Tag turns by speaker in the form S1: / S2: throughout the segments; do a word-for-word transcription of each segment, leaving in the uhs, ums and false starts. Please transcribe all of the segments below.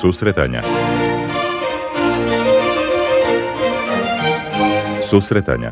S1: Susretanja. Susretanja.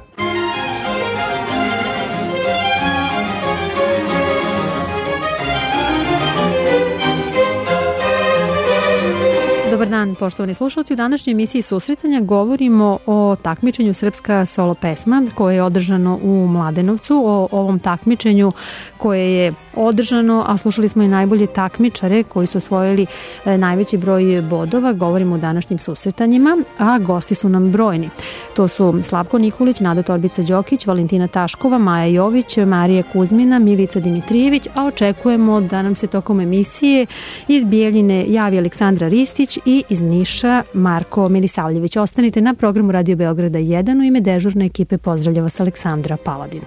S2: Dobar dan, poštovani slušalci. U današnjoj emisiji Susretanja govorimo o takmičenju Srpska solo pesma koje je održano u Mladenovcu, o ovom takmičenju koje je održano, a slušali smo i najbolje takmičare koji su osvojili najveći broj bodova. Govorimo o današnjim susretanjima, a gosti su nam brojni. To su Slavko Nikolić, Nada Torbica-Đokić, Valentina Taškova, Maja Jović, Marija Kuzmina, Milica Dimitrijević, a očekujemo da nam se tokom emisije iz Bijeljine javi Aleksandra Ristić i iz Niša Marko Milisavljević. Ostanite na programu Radio Beograda jedan. U ime dežurne ekipe pozdravlja vas Aleksandra Paladin.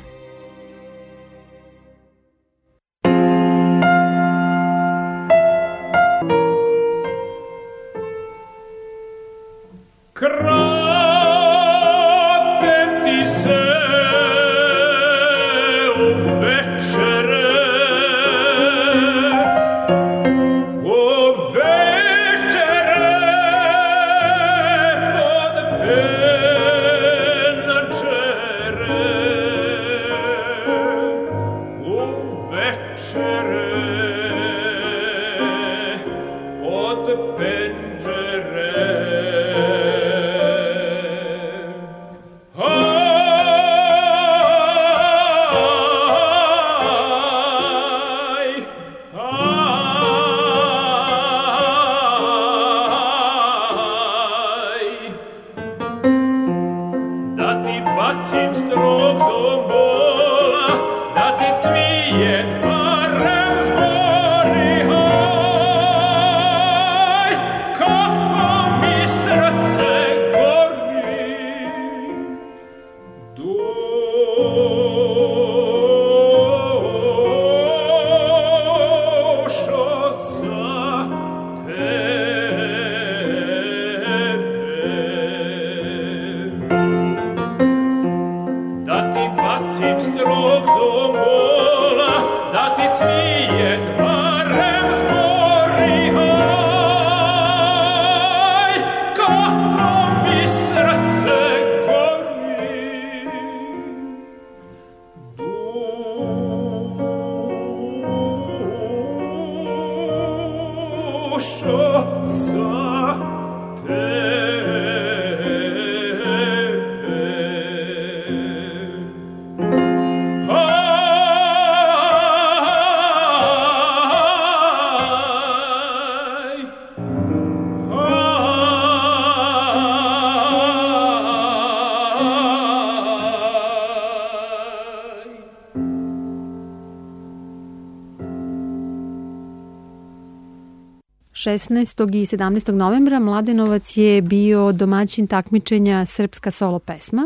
S2: šesnaestog i sedamnaestog novembra Mladenovac je bio domaćin takmičenja Srpska solo pesma,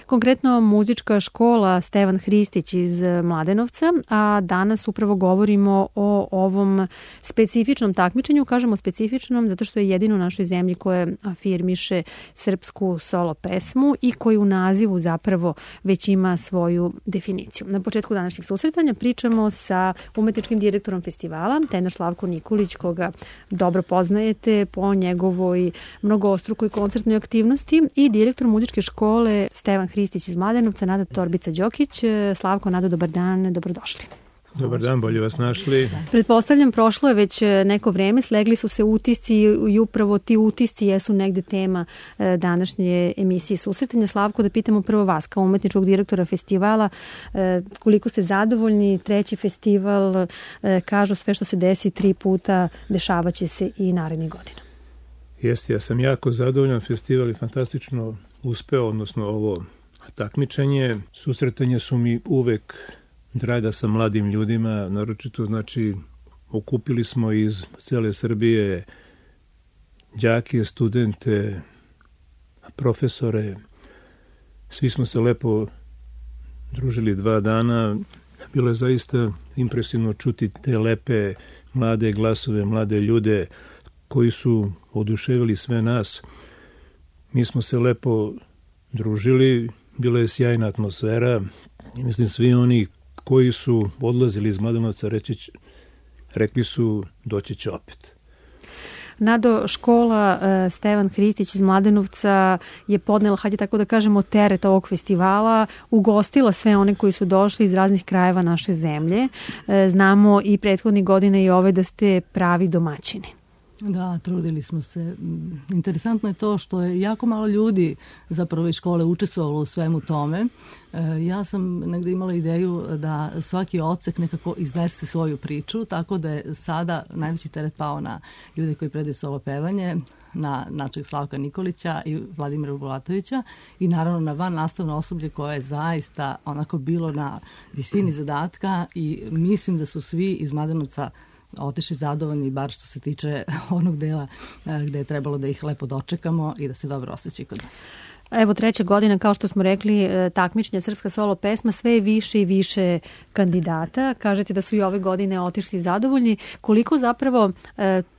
S2: konkretno muzička škola Stevan Hristić iz Mladenovca, a danas upravo govorimo o ovom specifičnom takmičenju. Kažemo specifičnom zato što je jedino u našoj zemlji koje afirmiše srpsku solo pesmu i koji u nazivu zapravo već ima svoju definiciju. Na početku današnjih susretanja pričamo sa umetničkim direktorom festivala, tenor Slavko Nikolić, koga dobro poznajete po njegovoj mnogoostrukoj koncertnoj aktivnosti, i direktor muzičke škole Stevan Hristić iz Mladenovca, Nada Torbica-Đokić. Slavko, Nada, dobar dan, dobrodošli.
S3: Dobar dan, bolje vas našli.
S2: Pretpostavljam, prošlo je već neko vreme, slegli su se utisci i upravo ti utisci jesu negde tema današnje emisije Susretanja. Slavko, da pitamo prvo vas, kao umetničkog direktora festivala, koliko ste zadovoljni? Treći festival, kažu sve što se desi tri puta, dešavaće se i narednih godina.
S3: Jeste, ja sam jako zadovoljan. Festival je fantastično uspeo, odnosno ovo takmičenje. Susretanja su mi uvek draga sa mladim ljudima, naročito, znači, okupili smo iz cele Srbije đake, studente, profesore, svi smo se lepo družili dva dana. Bilo je zaista impresivno čuti te lepe mlade glasove, mlade ljude koji su oduševili sve nas. Mi smo se lepo družili, bila je sjajna atmosfera i mislim svi oni koji su odlazili iz Mladenovca reći, rekli su doći će opet.
S2: Nado, škola uh, Stevan Hristić iz Mladenovca je podnela, hajde tako da kažemo, teret ovog festivala, ugostila sve one koji su došli iz raznih krajeva naše zemlje. Uh, znamo i prethodnih godina i ove da ste pravi domaćini.
S1: Da, trudili smo se. Interesantno je to što je jako malo ljudi zapravo iz škole učestvovalo u svemu tome. Ja sam negde imala ideju da svaki odsek nekako iznese svoju priču, tako da je sada najveći teret pao na ljude koji predaju solo pevanje, na našeg Slavka Nikolića i Vladimira Bulatovića i naravno na van nastavno osoblje koje je zaista onako bilo na visini zadatka i mislim da su svi iz Mladenovca otišli zadovoljni, bar što se tiče onog dela gde je trebalo da ih lepo dočekamo i da se dobro osjećaju kod nas.
S2: Evo treća godina, kao što smo rekli, takmičenja Srpska solo pesma, sve je više i više kandidata. Kažete da su i ove godine otišli zadovoljni. Koliko zapravo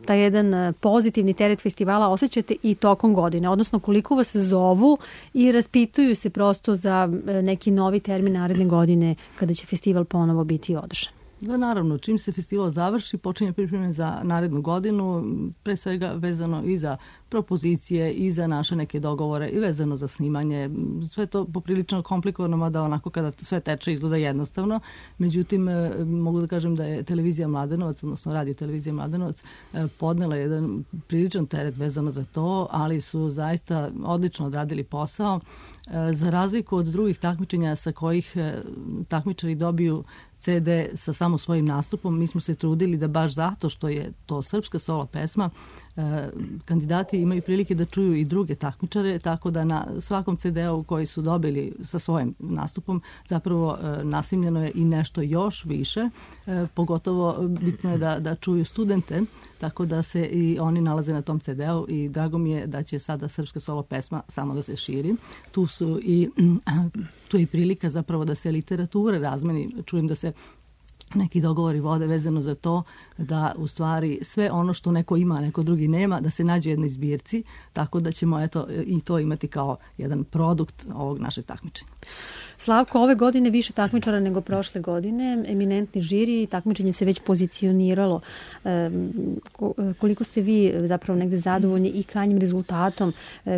S2: taj jedan pozitivni teret festivala osjećate i tokom godine? Odnosno koliko vas zovu i raspituju se prosto za neki novi termin naredne godine kada će festival ponovo biti održan?
S1: Da, naravno, čim se festival završi, počinje pripreme za narednu godinu, pre svega vezano i za propozicije i za naše neke dogovore i vezano za snimanje. Sve to poprilično komplikovano, mada onako kada sve teče izgleda jednostavno. Međutim, mogu da kažem da je televizija Mladenovac, odnosno radio televizija Mladenovac, podnela jedan priličan teret vezano za to, ali su zaista odlično odradili posao. Za razliku od drugih takmičenja sa kojih takmičari dobiju ce de sa samo svojim nastupom, mi smo se trudili da baš zato što je to srpska solo pesma, kandidati imaju prilike da čuju i druge takmičare, tako da na svakom ce de-u koji su dobili sa svojim nastupom zapravo nasimljeno je i nešto još više. Pogotovo bitno je da, da čuju studente, tako da se i oni nalaze na tom ce de-u i drago mi je da će sada srpska solo pesma samo da se širi. Tu su i tu je i prilika zapravo da se literatura razmeni. Čujem da se neki dogovori vode vezano za to da u stvari sve ono što neko ima, a neko drugi nema, da se nađe u jednoj zbirci, tako da ćemo eto i to imati kao jedan produkt ovog našeg takmičenja.
S2: Slavko, ove godine više takmičara nego prošle godine, eminentni žiri, takmičenje se već pozicioniralo. E, koliko ste vi zapravo negde zadovoljni i krajnjim rezultatom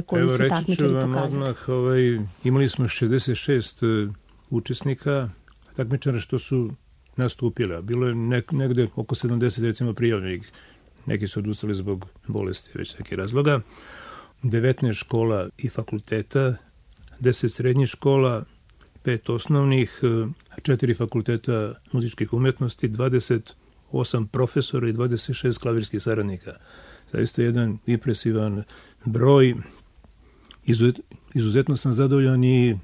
S2: koji
S3: Evo,
S2: su takmičari pokazali?
S3: Evo, reći ću vam odmah, ovaj, imali smo šezdeset šest učesnika takmičara što su nastupila. Bilo je nek, negde oko sedamdeset recimo prijavljenih. Neki su odustali zbog bolesti, već nekih razloga. devetnaest škola i fakulteta, deset srednjih škola, pet osnovnih, četiri fakulteta muzičkih umetnosti, dvadeset osam profesora i dvadeset šest klavirskih saradnika. Zaista jedan impresivan broj. Izuzet, izuzetno sam zadovoljan i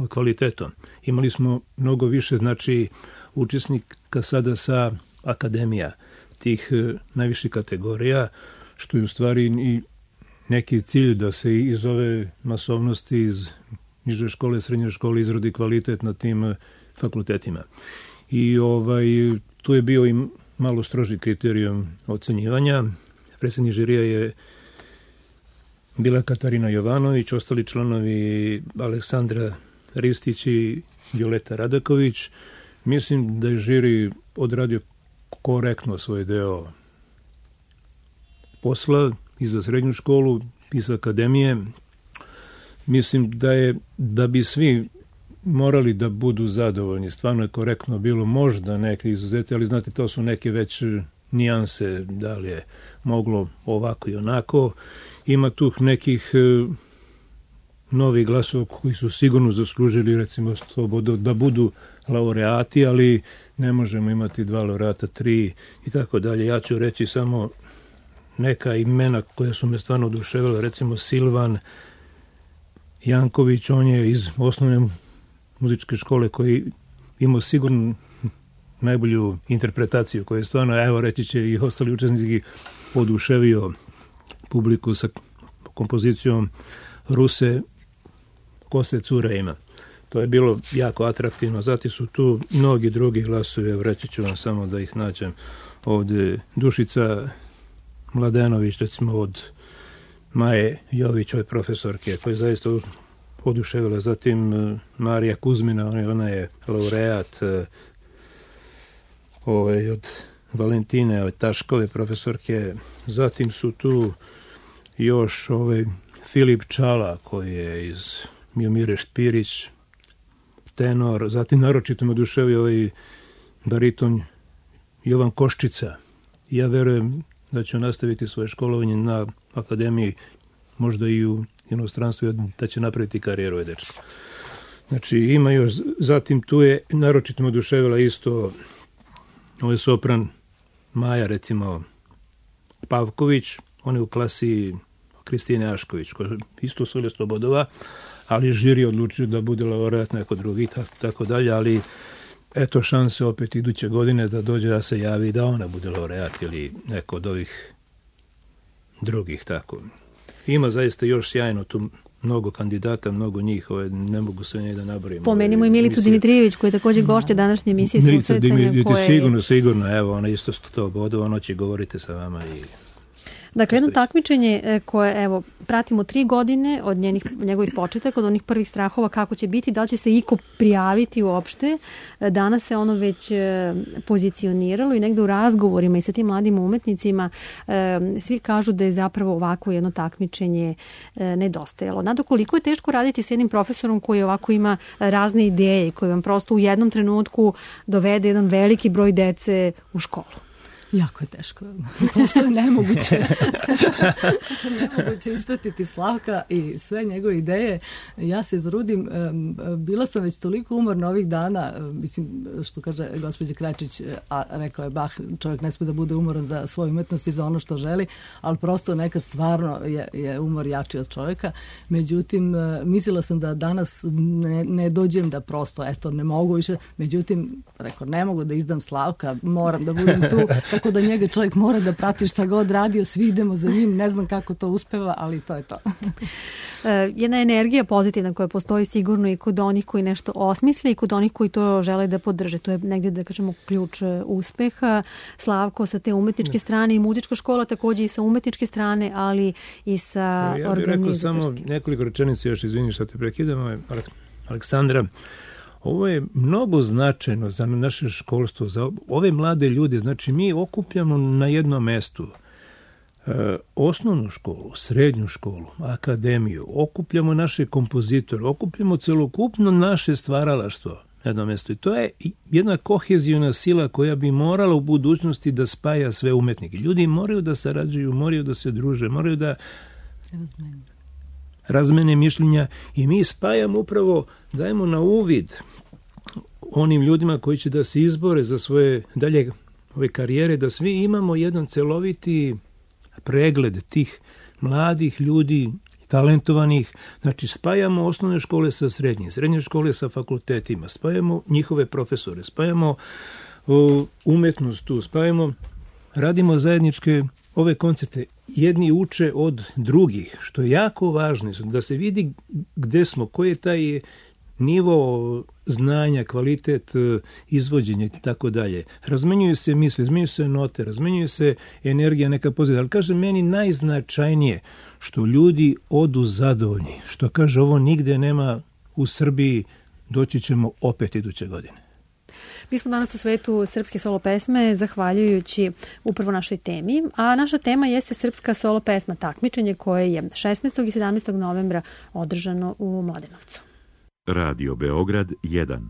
S3: kvalitetom. Imali smo mnogo više, znači, učesnika sada sa akademija tih najviših kategorija, što je u stvari i neki cilj da se iz ove masovnosti, iz niže škole, srednje škole izrodi kvalitet na tim fakultetima. I ovaj, tu je bio i malo stroži kriterijum ocenjivanja. Predsjednik žirija je bila Katarina Jovanović, ostali članovi Aleksandra Ristić i Violeta Radaković. Mislim da je žiri odradio korektno svoj deo posla i za srednju školu i za akademije. Mislim da je, da bi svi morali da budu zadovoljni. Stvarno je korektno bilo, možda neke izuzete, ali znate, to su neke već nijanse, da li je moglo ovako i onako. Ima tu nekih novih glasova koji su sigurno zaslužili, recimo, da budu laureati, ali ne možemo imati dva laureata, tri i tako dalje. Ja ću reći samo neka imena koja su me stvarno oduševila, recimo Silvan Janković, on je iz osnovne muzičke škole koji imao sigurno najbolju interpretaciju, koja je stvarno, evo reći će i ostali učesnici, oduševio publiku sa kompozicijom Ruse Kose cura ima. To je bilo jako atraktivno. Zatim su tu mnogi drugi glasovi, evo reći ću vam samo da ih nađem ovde. Dušica Mladenović, recimo od Maje Jović, ove profesorke, koja je zaista oduševila. Zatim Marija Kuzmina, ona je laureat ovaj, od Valentine Taškove, profesorke. Zatim su tu još ovaj Filip Čala, koji je iz Miomire Špirić, tenor. Zatim naročito me oduševio ovaj bariton Jovan Koščica. Ja verujem da će nastaviti svoje školovanje na akademiji, možda i u inostranstvu, da će napraviti karijeru ovaj dečko. Znači ima još, zatim tu je naročito me oduševila isto ovaj sopran Maja, recimo Pavković, on je u klasi Kristine Ašković, koja isto solisto bodova, ali žiri odlučio da bude laureat neko drugi, tako, tako dalje, ali eto šanse opet iduće godine da dođe da se javi da ona bude laureat ili neko od ovih drugih, tako. Ima zaista još sjajno tu mnogo kandidata, mnogo njih, ove, ne mogu sve njih da nabrojim.
S2: Pomenimo i Milicu Dimitrijević, koja je također gošća današnje emisije Susretanja.
S3: Milica
S2: koje...
S3: sigurno, sigurno, evo, ona isto sto bodova, ono će govoriti sa vama i...
S2: Dakle, jedno takmičenje koje, evo, pratimo tri godine od njenih, njegovih početaka, od onih prvih strahova kako će biti, da li će se iko prijaviti uopšte. Danas se ono već pozicioniralo i negde u razgovorima i sa tim mladim umetnicima svi kažu da je zapravo ovako jedno takmičenje nedostajalo. Nado, koliko je teško raditi s jednim profesorom koji ovako ima razne ideje i koji vam prosto u jednom trenutku dovede jedan veliki broj dece u školu?
S1: Jako je teško. Prosto je nemoguće. nemoguće ispratiti Slavka i sve njegove ideje. Ja se izrudim. Bila sam već toliko umorna ovih dana, mislim, što kaže gospođa Kračić, a rekao je Bach, čovjek ne smije da bude umoran za svoju umetnost i za ono što želi, ali prosto nekad stvarno je, je umor jači od čovjeka. Međutim, mislila sam da danas ne, ne dođem da prosto, eto, ne mogu više. Međutim, rekao, ne mogu da izdam Slavka, moram da budem tu, tako da njega čovjek mora da prati šta god radio, svi idemo za njim, ne znam kako to uspeva, ali to je to.
S2: Jedna energija pozitivna koja postoji sigurno i kod onih koji nešto osmisle i kod onih koji to žele da podrže. To je negdje, da kažemo, ključ uspeha. Slavko sa te umetničke strane i muzička škola također i sa umetničke strane, ali i sa organizatorske.
S3: Ja bih rekao samo nekoliko rečenica, još izvini što te prekidamo, Aleksandra. Ovo je mnogo značajno za naše školstvo, za ove mlade ljude. Znači, mi okupljamo na jednom mestu e, osnovnu školu, srednju školu, akademiju, okupljamo naše kompozitore, okupljamo celokupno naše stvaralaštvo na jednom mestu. I to je jedna kohezijona sila koja bi morala u budućnosti da spaja sve umetnike. Ljudi moraju da sarađuju, moraju da se druže, moraju da razmene mišljenja i mi spajamo upravo, dajemo na uvid onim ljudima koji će da se izbore za svoje dalje ove karijere, da svi imamo jedan celoviti pregled tih mladih ljudi, talentovanih. Znači, spajamo osnovne škole sa srednjim, srednje škole sa fakultetima, spajamo njihove profesore, spajamo o, umetnost tu, spajamo, radimo zajedničke ove koncerte. Jedni uče od drugih, što je jako važno, da se vidi gde smo, koji je taj nivo znanja, kvalitet izvođenja i tako dalje. Razmenjuju se misli, razmenjuju se note, razmenjuju se energija neka pozitivna. Ali kaže meni najznačajnije što ljudi odu zadovoljni, što kaže ovo nigde nema u Srbiji, doći ćemo opet iduće godine.
S2: Mi smo danas u svetu srpske solo pesme zahvaljujući upravo našoj temi, a naša tema jeste srpska solo pesma takmičenje koje je šesnaestog i sedamnaestog novembra održano u Mladenovcu.
S4: Radio Beograd jedan.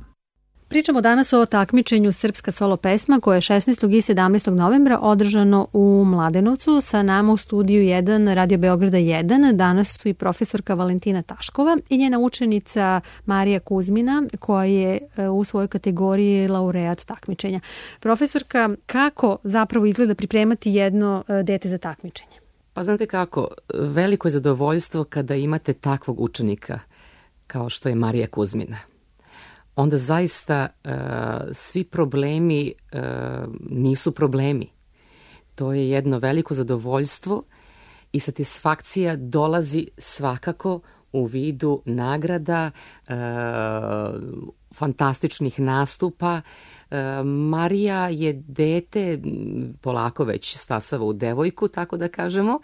S2: Pričamo danas o takmičenju srpska solo pesma koje je šesnaestog i sedamnaestog novembra održano u Mladenovcu. Sa nama u studiju jedan Radio Beograda jedan danas su i profesorka Valentina Taškova i njena učenica Marija Kuzmina koja je u svojoj kategoriji laureat takmičenja. Profesorka, kako zapravo izgleda pripremati jedno dete za takmičenje?
S5: Pa znate kako, veliko je zadovoljstvo kada imate takvog učenika kao što je Marija Kuzmina. Onda zaista uh, svi problemi uh, nisu problemi. To je jedno veliko zadovoljstvo i satisfakcija dolazi svakako u vidu nagrada, uh, fantastičnih nastupa. Uh, Marija je dete, polako već stasava u devojku, tako da kažemo,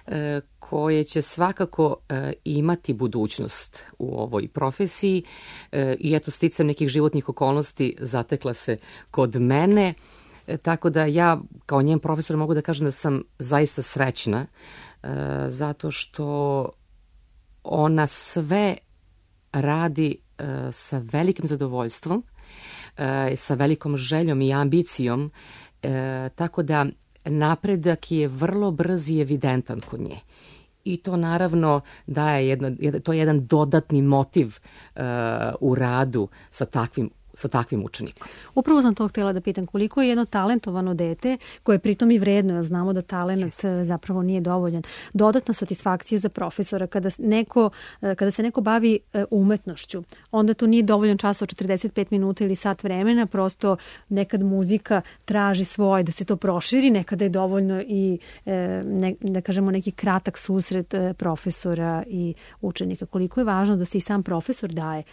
S5: uh, koje će svakako e, imati budućnost u ovoj profesiji e, i eto sticam nekih životnih okolnosti zatekla se kod mene Tako da ja kao njen profesor mogu da kažem da sam zaista srećna zato što ona sve radi sa velikim zadovoljstvom, sa velikom željom i ambicijom, tako da napredak je vrlo brz i evidentan kod nje. I to naravno daje jedno, to je jedan dodatni motiv uh, u radu sa takvim sa takvim učenikom.
S2: Upravo sam to htjela da pitam, koliko je jedno talentovano dete, koje je pritom i vredno, jer znamo da talent yes. zapravo nije dovoljan. Dodatna satisfakcija za profesora kada, neko, kada se neko bavi umetnošću, onda to nije dovoljan čas od četrdeset pet minuta ili sat vremena, prosto nekad muzika traži svoje da se to proširi, nekada je dovoljno i ne, da kažemo neki kratak susret profesora i učenika. Koliko je važno da se i sam profesor daje,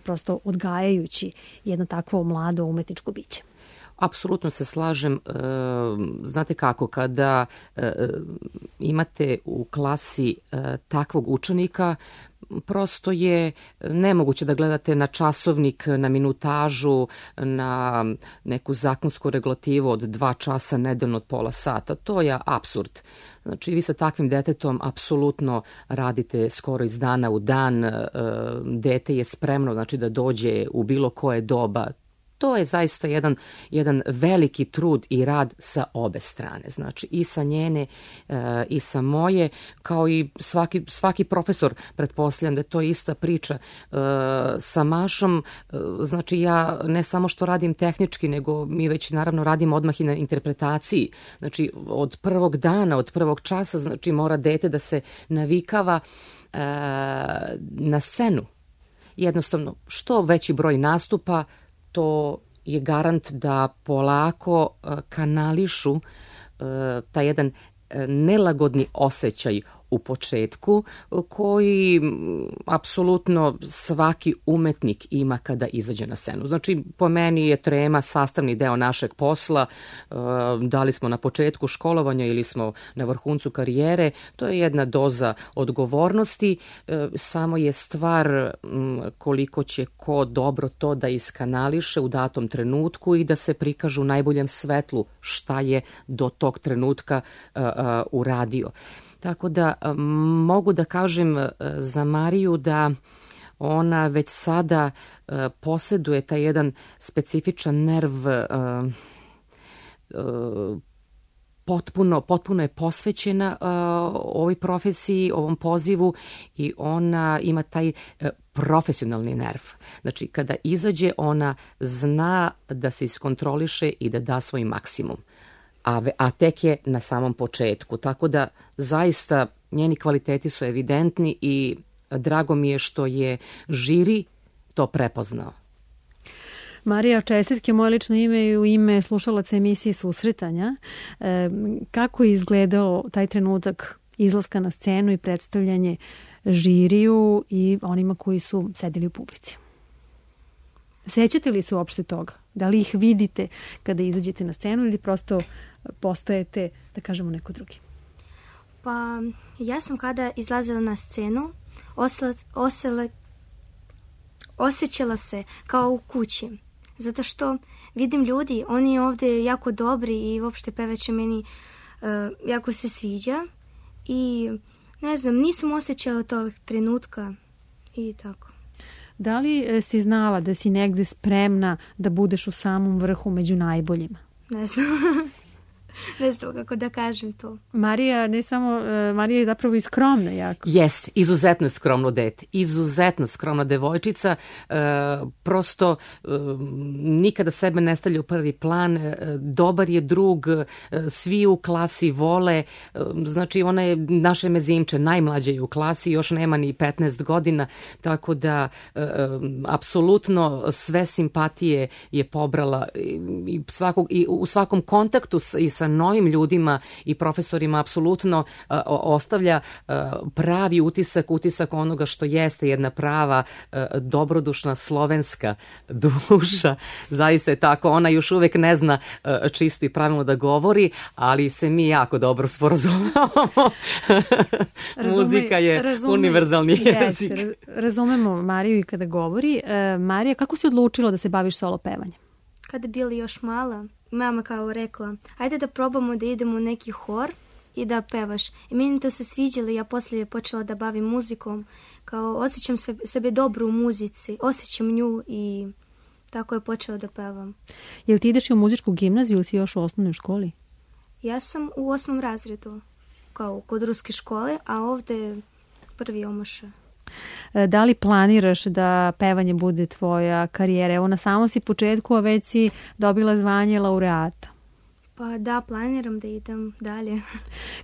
S2: prosto odgajajući jedno takvo mlado umetničko biće.
S5: Apsolutno se slažem. Znate kako, kada imate u klasi takvog učenika, prosto je nemoguće da gledate na časovnik, na minutažu, na neku zakonsku regulativu od dva časa nedeljno od pola sata. To je apsurd. Znači, vi sa takvim detetom apsolutno radite skoro iz dana u dan. Dete je spremno, znači, da dođe u bilo koje doba. To je zaista jedan, jedan veliki trud i rad sa obe strane. Znači, i sa njene e, i sa moje, kao i svaki, svaki profesor, pretpostavljam da je to ista priča. E, sa Mašom, e, znači ja ne samo što radim tehnički, nego mi već naravno radimo odmah i na interpretaciji. Znači, od prvog dana, od prvog časa, znači mora dete da se navikava e, na scenu. Jednostavno, što veći broj nastupa, to je garant da polako kanališu taj jedan nelagodni osjećaj u početku koji apsolutno svaki umetnik ima kada izađe na scenu. Znači, po meni je trema sastavni deo našeg posla. Da li smo na početku školovanja ili smo na vrhuncu karijere, to je jedna doza odgovornosti. Samo je stvar koliko će ko dobro to da iskanališe u datom trenutku i da se prikažu u najboljem svetlu šta je do tog trenutka uradio. Tako da mogu da kažem za Mariju da ona već sada uh, posjeduje taj jedan specifičan nerv, uh, uh, potpuno, potpuno je posvećena uh, ovoj profesiji, ovom pozivu i ona ima taj uh, profesionalni nerv. Znači, kada izađe, ona zna da se iskontroliše i da da svoj maksimum. A, a tek je na samom početku. Tako da zaista njeni kvaliteti su evidentni i drago mi je što je žiri to prepoznao.
S2: Marija, čestitke, moje lično ime i u ime slušalaca emisije Susretanja. E, kako je izgledao taj trenutak izlaska na scenu i predstavljanje žiriju i onima koji su sedeli u publici? Sećate li se uopšte toga? Da li ih vidite kada izađete na scenu ili prosto postajete, da kažemo, neko drugi?
S6: Pa, ja sam kada izlazila na scenu osla, osla, osjećala se kao u kući. Zato što vidim ljudi, oni ovdje jako dobri i uopšte pevače meni uh, jako se sviđa. I ne znam, nisam osjećala tog trenutka i tako.
S2: Da li si znala da si negde spremna da budeš u samom vrhu među najboljima?
S6: Ne znam. Ne znam kako da kažem to.
S2: Marija, ne samo, Marija je zapravo i skromna jako.
S5: Jest, izuzetno skromno dete. Izuzetno skromna devojčica. E, prosto e, nikada sebe ne stavlja u prvi plan. E, dobar je drug, e, svi u klasi vole. E, znači, ona je naše mezimče, najmlađa je u klasi, još nema ni petnaest godina, tako da e, apsolutno sve simpatije je pobrala i, i, svakog, i u svakom kontaktu i sa novim ljudima i profesorima apsolutno uh, ostavlja uh, pravi utisak, utisak onoga što jeste jedna prava, uh, dobrodušna slovenska duša. Zaista je tako. Ona još uvek ne zna uh, čisto i pravilno da govori, ali se mi jako dobro sporazumevamo. Muzika je razume, univerzalni jezik.
S2: Yes, razumemo Mariju i kada govori. Uh, Marija, kako si odlučila da se baviš solo pevanjem?
S6: kada bili još mala, mama kao rekla, ajde da probamo da idemo u neki hor i da pevaš. I meni to se sviđalo i ja poslije počela da bavim muzikom. Kao osjećam sebe dobro u muzici, osjećam nju i tako je počela da pevam.
S2: Jel ti ideš u muzičku gimnaziju ili si još u osnovnoj školi?
S6: Ja sam u osmom razredu, kao kod ruske škole, a ovde prvi omoša.
S2: Da li planiraš da pevanje bude tvoja karijera? Evo na samom si početku, a već si dobila zvanje laureata.
S6: Pa da, planiram da idem dalje.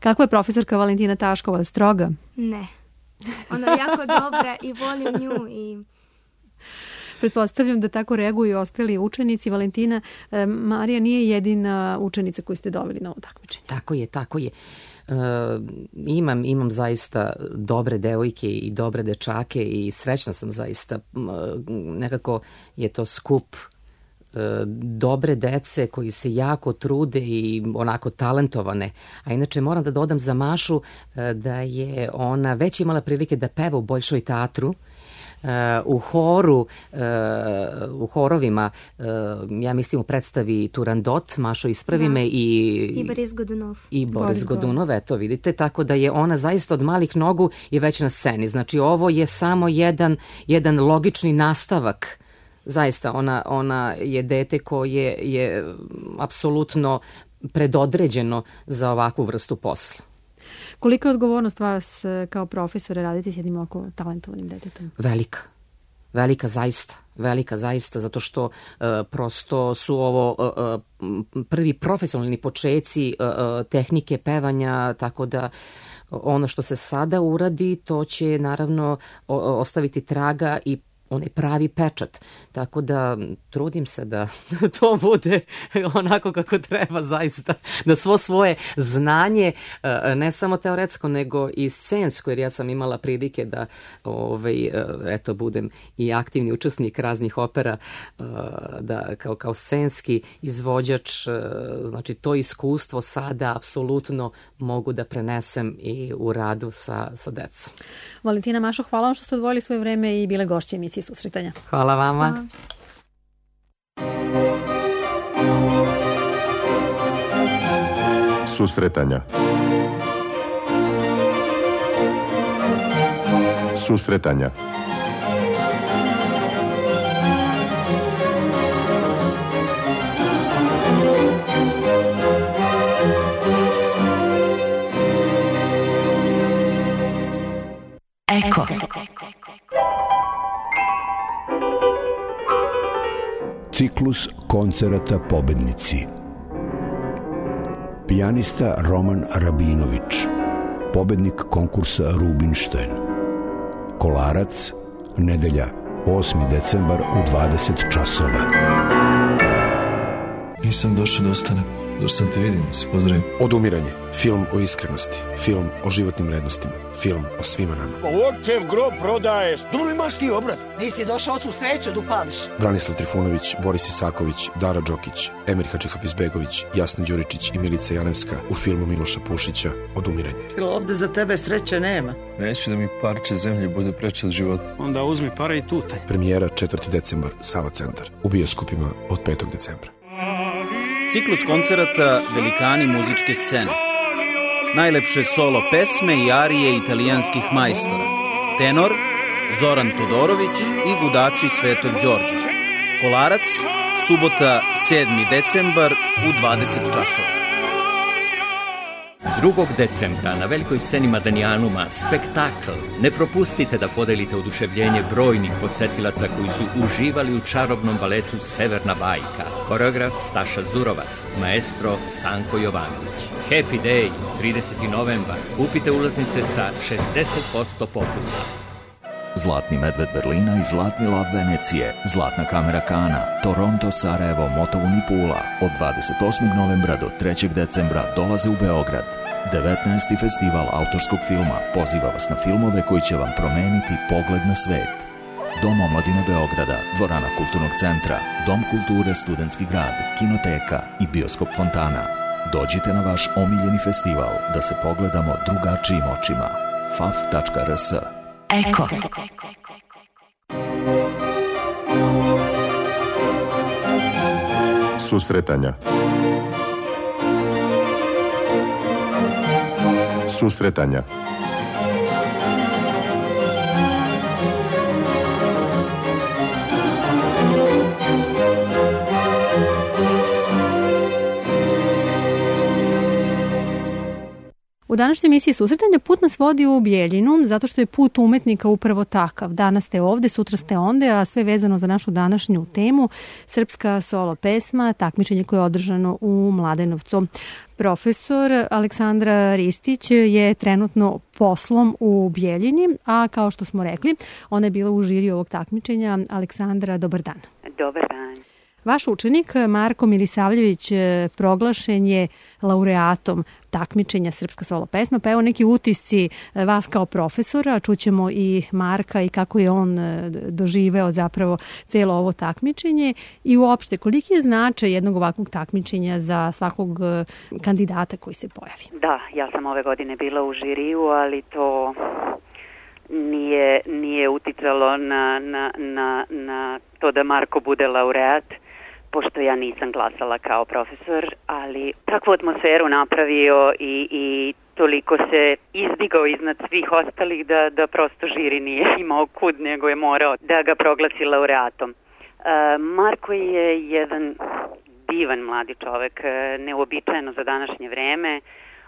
S2: Kakva je profesorka Valentina Taškova? Stroga?
S6: Ne. Ona je jako dobra i volim nju i...
S2: Pretpostavljam da tako reaguju i ostali učenici. Valentina, Marija nije jedina učenica koju ste doveli na ovo takmičenje.
S5: Tako je, tako je. E, imam, imam zaista dobre devojke i dobre dečake i srećna sam zaista. Nekako je to skup dobre dece koji se jako trude i onako talentovane. A inače moram da dodam za Mašu da je ona već imala prilike da peva u Bolšoj teatru, u horu, u horovima, ja mislim u predstavi Turandot, Mašo ispravi me, i,
S6: i Boris Godunov.
S5: I Boris Godunov, eto vidite, tako da je ona zaista od malih nogu i već na sceni. Znači ovo je samo jedan, jedan logični nastavak. Zaista, ona, ona je dete koje je apsolutno predodređeno za ovakvu vrstu posla.
S2: Kolika je odgovornost vas kao profesore raditi s jednim ovako talentovanim detetom?
S5: Velika. Velika zaista. Velika zaista, zato što uh, prosto su ovo uh, prvi profesionalni počeci uh, tehnike pevanja, tako da ono što se sada uradi, to će naravno ostaviti traga i onaj pravi pečat. Tako da trudim se da to bude onako kako treba zaista. Da svo svoje znanje, ne samo teoretsko, nego i scensko, jer ja sam imala prilike da ovaj, eto, budem i aktivni učesnik raznih opera, da kao, kao scenski izvođač, znači to iskustvo sada apsolutno mogu da prenesem i u radu sa, sa decom.
S2: Valentina, Mašo, hvala vam što ste odvojili svoje vreme i bile gošće emisije Susretanja.
S5: Hvala vama.
S6: Hvala.
S7: Susretanja. Susretanja.
S8: Eko.
S9: Ciklus koncerata Pobednici. Pijanista Roman Rabinović, pobednik konkursa Rubinštajn. Kolarac, nedelja, osmi decembar u dvadeset časova.
S10: Nisam došao da ostanem, došao sam te vidim, se pozdravim.
S11: Odumiranje, film o iskrenosti, film o životnim vrednostima, film o svima nama.
S12: Očev grob prodaješ,
S13: dobro imaš ti obraz, nisi došao ocu sveću da upališ.
S11: Branislav Trifunović, Boris Isaković, Dara Đokić, Emir Hadžihafizbegović, Jasna Đuričić i Milica Janevska u filmu Miloša Pušića Odumiranje.
S13: Ovde za tebe sreće nema.
S10: Neću da mi parče zemlje bude preče od života.
S12: Onda uzmi pare i tutaj.
S11: Premijera četvrti decembar, Sava centar. U bioskopima od petog decembra.
S14: Ciklus koncerata Velikani muzičke scene. Najlepše solo pesme i arije italijanskih majstora. Tenor Zoran Todorović i gudači Svetog Đorđa. Kolarac, subota sedmi decembar u dvadeset časova.
S15: drugog decembra na velikoj sceni Madanijanuma spektakl. Ne propustite da podelite oduševljenje brojnih posetilaca koji su uživali u čarobnom baletu Severna bajka. Koreograf Staša Zurovac, maestro Stanko Jovanović. Happy Day, trideseti novembar. Kupite ulaznice sa šezdeset posto popusta.
S16: Zlatni medved Berlina i Zlatni lav Venecije, Zlatna kamera Kana, Toronto, Sarajevo, Motovun i Pula od dvadeset osmog novembra do trećeg decembra dolaze u Beograd. devetnaesti festival autorskog filma poziva vas na filmove koji će vam promeniti pogled na svet. Dom omladine Beograda, dvorana Kulturnog centra, Dom kulture Studentski grad, Kinoteka i Bioskop Fontana. Dođite na vaš omiljeni festival da se pogledamo drugačijim očima. f a f tačka r s.
S8: Eko.
S7: Susretanja. Susretanja.
S2: U današnjoj emisiji Susretanja put nas vodi u Bijeljinu, zato što je put umetnika upravo takav. Danas ste ovde, sutra ste onde, a sve vezano za našu današnju temu, srpska solo pesma, takmičenje koje je održano u Mladenovcu. Profesor Aleksandra Ristić je trenutno poslom u Bijeljini, a kao što smo rekli, ona je bila u žiri ovog takmičenja. Aleksandra, dobar dan.
S8: Dobar dan.
S2: Vaš učenik Marko Milisavljević proglašen je laureatom takmičenja Srpska solo pesma, pa evo neki utisci vas kao profesora, čućemo i Marka i kako je on doživeo zapravo celo ovo takmičenje i uopšte koliki je značaj jednog ovakvog takmičenja za svakog kandidata koji se pojavi.
S8: Da, ja sam ove godine bila u žiriju, ali to nije, nije uticalo na, na, na, na to da Marko bude laureat, pošto ja nisam glasala kao profesor, ali takvu atmosferu napravio i, i toliko se izdigao iznad svih ostalih da, da prosto žiri nije imao kud, nego je morao da ga proglasi laureatom. E, Marko je jedan divan mladi čovek, neobičajeno za današnje vreme,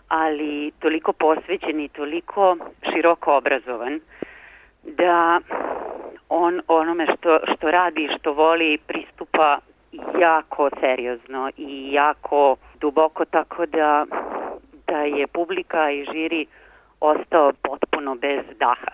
S8: ali toliko posvećen i toliko široko obrazovan da on onome što, što radi i što voli pristupa jako seriozno i jako duboko, tako da, da je publika i žiri ostao potpuno bez daha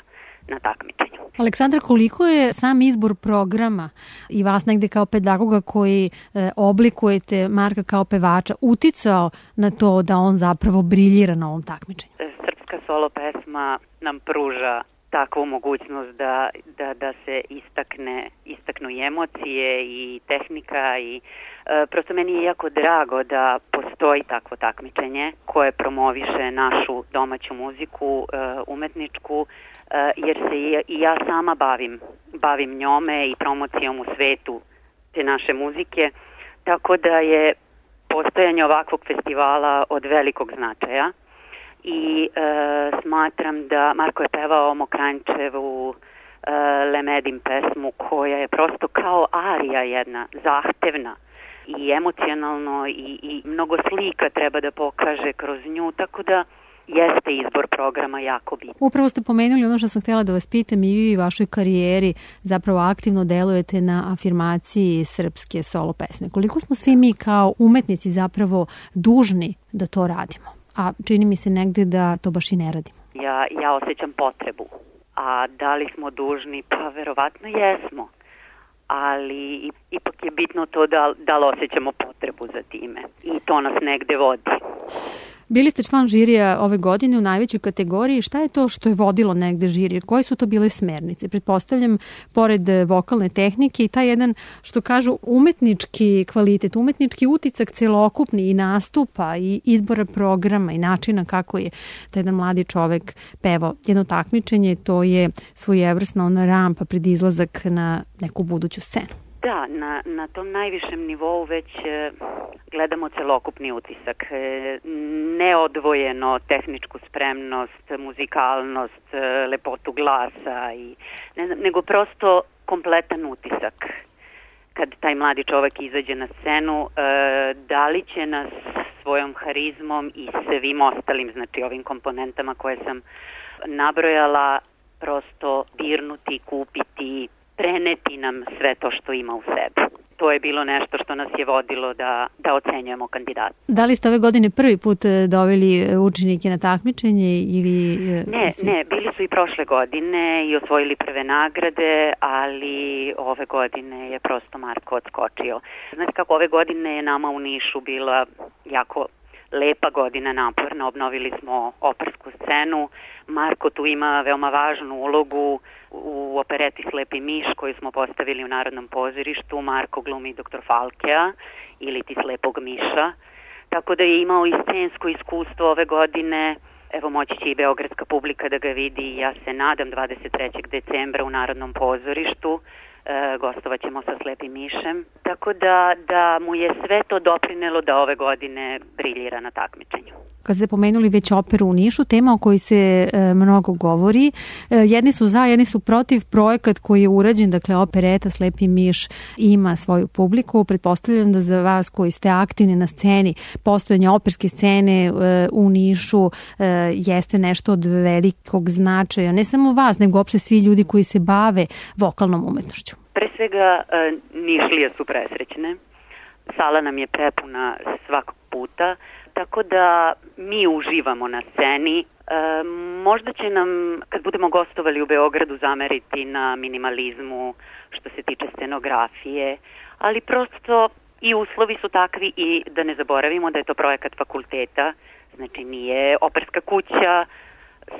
S8: na takmičenju.
S2: Aleksandra, koliko je sam izbor programa i vas negde kao pedagoga koji e, oblikujete Marka kao pevača uticao na to da on zapravo briljira na ovom takmičenju?
S8: Srpska solo pesma nam pruža takvu mogućnost da, da, da se istakne, istaknu i emocije i tehnika i e, prosto meni je jako drago da postoji takvo takmičenje koje promoviše našu domaću muziku, e, umetničku, e, jer se i, i ja sama bavim, bavim njome i promocijom u svetu te naše muzike, tako da je postojanje ovakvog festivala od velikog značaja. I e, smatram da Marko je pevao Mokranjčevu e, Lemedim pesmu koja je prosto kao arija jedna, zahtevna i emocionalno i, i mnogo slika treba da pokaže kroz nju, tako da jeste izbor programa jako bitan.
S2: Upravo ste pomenuli ono što sam htjela da vas pitam, i vi u vašoj karijeri zapravo aktivno delujete na afirmaciji srpske solo pesme. Koliko smo svi mi kao umetnici zapravo dužni da to radimo? A čini mi se negde da to baš i ne radimo.
S8: Ja, ja osjećam potrebu, a da li smo dužni? Pa verovatno jesmo, ali ipak je bitno to da, da li osjećamo potrebu za time i to nas negde vodi.
S2: Bili ste član žirija ove godine u najvećoj kategoriji. Šta je to što je vodilo negde žirije? Koje su to bile smernice? Pretpostavljam, pored vokalne tehnike i taj jedan, što kažu, umetnički kvalitet, umetnički uticak celokupni i nastupa i izbora programa i načina kako je taj jedan mladi čovek pevao jedno takmičenje, to je svojevrsna ona rampa pred izlazak na neku buduću scenu.
S8: Da, na, na tom najvišem nivou već e, gledamo celokupni utisak. E, neodvojeno tehničku spremnost, muzikalnost, e, lepotu glasa, i, ne znam, nego prosto kompletan utisak. Kad taj mladi čovek izađe na scenu, e, da li će nas svojom harizmom i svim ostalim, znači ovim komponentama koje sam nabrojala, prosto dirnuti, kupiti, preneti nam sve to što ima u sebi. To je bilo nešto što nas je vodilo da, da ocenjujemo kandidata.
S2: Da li ste ove godine prvi put doveli učenike na takmičenje ili...
S8: Ne, ne, bili su i prošle godine i osvojili prve nagrade, ali ove godine je prosto Marko odskočio. Znate kako, ove godine je nama u Nišu bila jako lepa godina, naporna, obnovili smo opersku scenu. Marko tu ima veoma važnu ulogu u opereti Slepi miš koju smo postavili u Narodnom pozorištu. Marko glumi doktor Falkea ili ti Slepog miša, tako da je imao i scensko iskustvo ove godine. Evo, moći će i beogradska publika da ga vidi, ja se nadam, dvadeset trećeg decembra u Narodnom pozorištu. e, gostovat ćemo sa Slepim mišem, tako da, da mu je sve to doprinelo da ove godine briljira na takmičenju.
S2: Kad ste pomenuli već operu u Nišu, tema o kojoj se e, mnogo govori, e, jedni su za, jedni su protiv. Projekat koji je urađen, dakle opereta Slepi miš, ima svoju publiku. Pretpostavljam da za vas koji ste aktivni na sceni, postojanje operske scene e, u Nišu e, jeste nešto od velikog značaja. Ne samo vas, nego uopšte svi ljudi koji se bave vokalnom umetnošću.
S8: Pre svega, e, Nišlije su presrećne. Sala nam je prepuna svakog puta, tako da mi uživamo na sceni. E, možda će nam, kad budemo gostovali u Beogradu, zameriti na minimalizmu što se tiče scenografije, ali prosto i uslovi su takvi i da ne zaboravimo da je to projekat fakulteta, znači nije operska kuća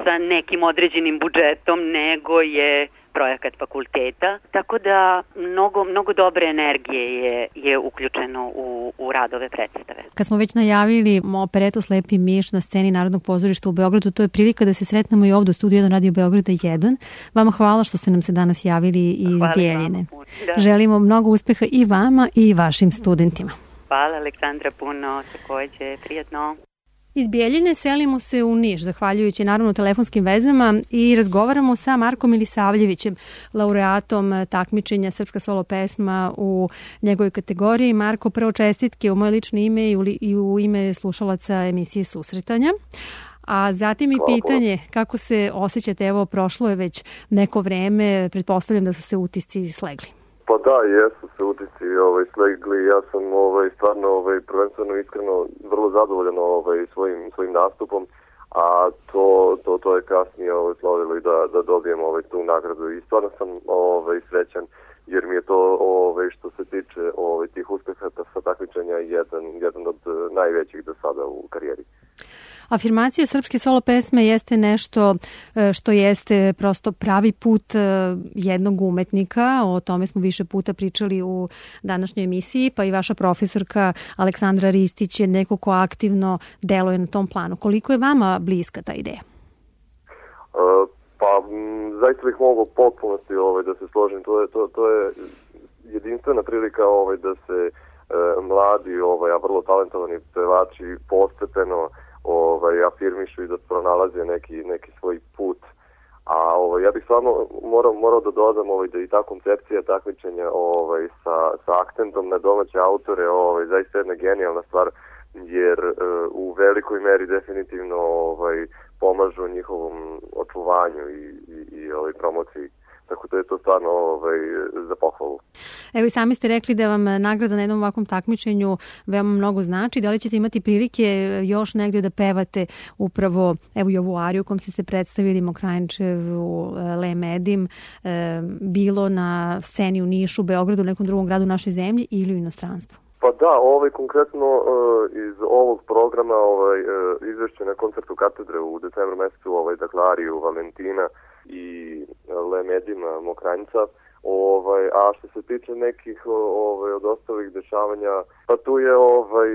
S8: sa nekim određenim budžetom, nego je projekat fakulteta, tako da mnogo, mnogo dobre energije je, je uključeno u, u radove predstave.
S2: Kad smo već najavili operetu Slepi miš na sceni Narodnog pozorišta u Beogradu, to je prilika da se sretnemo i ovdje u studiju jedan Radio Beograda jedan. Vama hvala što ste nam se danas javili iz Bijeljine. Želimo mnogo uspeha i vama i vašim studentima.
S8: Hvala Aleksandra puno, takođe, prijatno.
S2: Iz Bijeljine selimo se u Niš, zahvaljujući naravno telefonskim vezama, i razgovaramo sa Markom Milisavljevićem, laureatom takmičenja Srpska solo pesma u njegovoj kategoriji. Marko, prvo čestitke u moje lično ime i u ime slušalaca emisije Susretanja. A zatim i pitanje, kako se osjećate, evo prošlo je već neko vreme, pretpostavljam da su se utisci slegli.
S7: Pa da, jesu se utisci ovaj, slegli, ja sam ovaj, stvarno ovaj, prvenstveno iskreno vrlo zadovoljan ovaj, svojim, svojim nastupom, a to, to, to je kasnije ovaj, slovilo i da, da dobijem ovaj, tu nagradu i stvarno sam ovaj, srećan jer mi je to ovaj, što se tiče ovaj, tih uspeha sa takmičenja jedan, jedan od najvećih do sada u karijeri.
S2: Afirmacija srpske solo pesme jeste nešto što jeste prosto pravi put jednog umetnika. O tome smo više puta pričali u današnjoj emisiji, pa i vaša profesorka Aleksandra Ristić je neko ko aktivno deluje na tom planu. Koliko je vama bliska ta ideja?
S7: Uh, pa zaista bih mogu potpunosti ovaj, da se složim. To je, to, to je jedinstvena prilika ovaj, da se uh, mladi, ovaj, a vrlo talentovani pevači postepeno ovaj, afirmišu i da pronalaze neki, neki svoj put. A ovaj, ja bih stvarno morao, morao da dodam ovaj, da i ta koncepcija takmičenja ovaj, sa, sa akcentom na domaće autore ovaj, zaista jedna genijalna stvar, jer uh, u velikoj meri definitivno ovaj, pomažu njihovom očuvanju i, i, i ovaj, promociji. Tako da je to stvarno ovaj, za pohvalu.
S2: Evo i sami ste rekli da vam nagrada na jednom ovakvom takmičenju veoma mnogo znači. Da li ćete imati prilike još negdje da pevate upravo evo i ovu ariju kom ste se predstavili, Mokranjčevu, Le Medim, bilo na sceni u Nišu, Beogradu, nekom drugom gradu našoj zemlji ili u inostranstvu?
S7: Pa da, ovaj konkretno uh, iz ovog programa ovaj, uh, izvešće na koncertu katedre u decembru mesecu, ovaj, dakle Ariju Valentina i Le Medima Mokranjca. Ovaj, a što se tiče nekih ovaj, od ostalih dešavanja, pa tu je ovaj,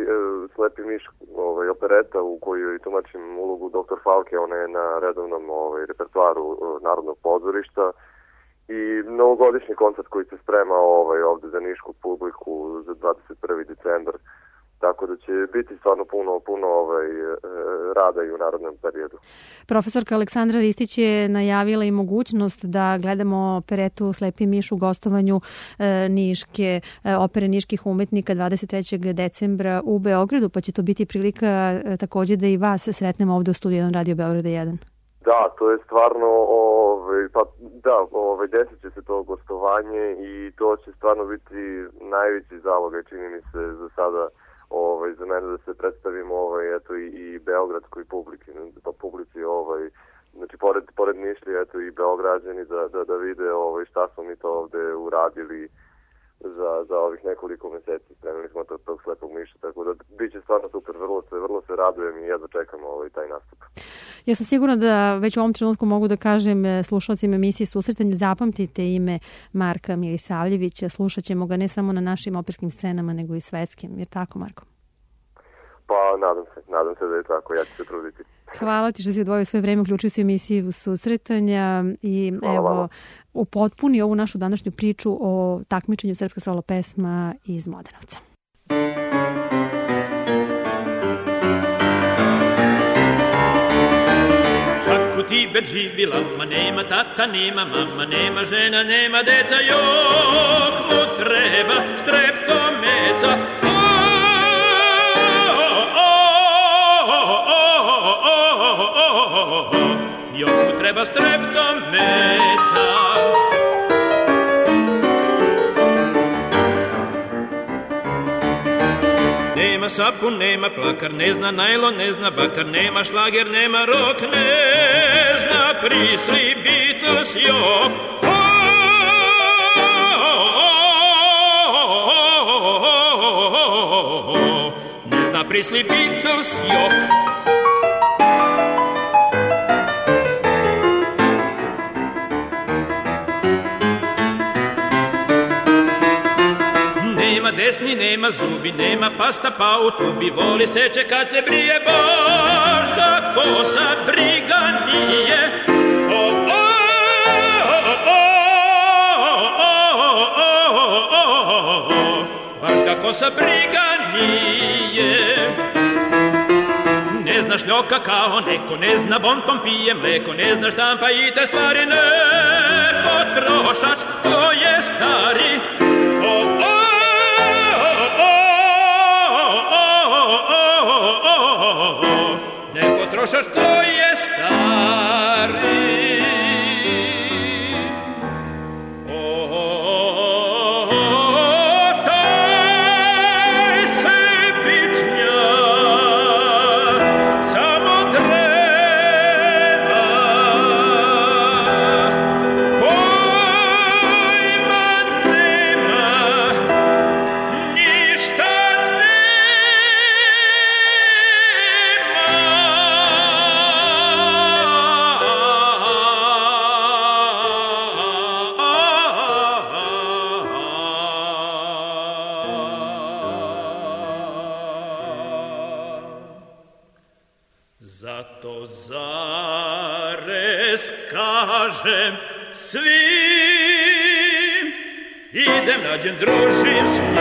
S7: Slepi miš ovaj, opereta u kojoj tumačim ulogu doktor Falke, ona je na redovnom ovaj, repertoaru Narodnog pozorišta. I novogodišnji koncert koji se sprema ovaj, ovde za nišku publiku za dvadeset prvi decembar. Tako da će biti stvarno puno, puno ovaj, rada i u narodnom periodu.
S2: Profesorka Aleksandra Ristić je najavila i mogućnost da gledamo operetu Slepi miš u gostovanju e, Niške, e, opere niških umetnika dvadeset trećeg decembra u Beogradu, pa će to biti prilika e, također da i vas sretnemo ovde u studiju jedan Radio Beograda jedan.
S7: Da, to je stvarno, ovaj, pa da, ovaj, desit će se to gostovanje i to će stvarno biti najveći zalogaj, čini mi se, za sada ovaj, za mene da se predstavimo ovaj, eto, i, i beogradskoj publici, pa publici, ovaj, znači pored, pored Nišlije, eto, i beograđani da, da, da vide ovaj, šta smo mi to ovde uradili za, za ovih nekoliko meseci. Spremili smo tog, tog Slepog miša, tako da bit će stvarno super, vrlo se, vrlo se radujem i jedva čekam ovaj, taj nastup.
S2: Ja sam sigurna da već u ovom trenutku mogu da kažem slušalcima emisije Susretanje, zapamtite ime Marka Milisavljevića, slušat ćemo ga ne samo na našim operskim scenama, nego i svetskim. Je tako, Marko?
S7: Pa nadam se, nadam se da je tako, ja ću se truditi.
S2: Hvala ti što si odvojio svoje vreme, uključio se u emisiju Susretanja i
S7: Hvala
S2: evo,
S7: vama.
S2: upotpuni ovu našu današnju priču o takmičenju Srpska solo pesma iz Mladenovca.
S17: Čak u Tibet živila, ma nema tata, nema mama, nema žena, nema deca, jok mu treba streptomeca. Jok mu treba streptomeca. Nema sapun, nema plakar, ne zna najlon, ne zna bakar, nema šlager, nema rok, ne zna prisli Beatles, jok. Ne zna prisli Beatles, jok. Desni nema zubi, nema pasta pa u tubi, voli seče kad se brije, baš ga kosa briga nije. O, o, o, o, o, baš ga kosa briga nije. Ne zna šljoka kao neko, ne zna bonton pije mleko, ne zna štampa i te stvari, ne potrošač, to je stari. O, o, ne potrošaš, to je stari. O, taj sebičnja samo treba, pojma nema, ništa zato zarez kažem svim, idem nađem, družim s njim.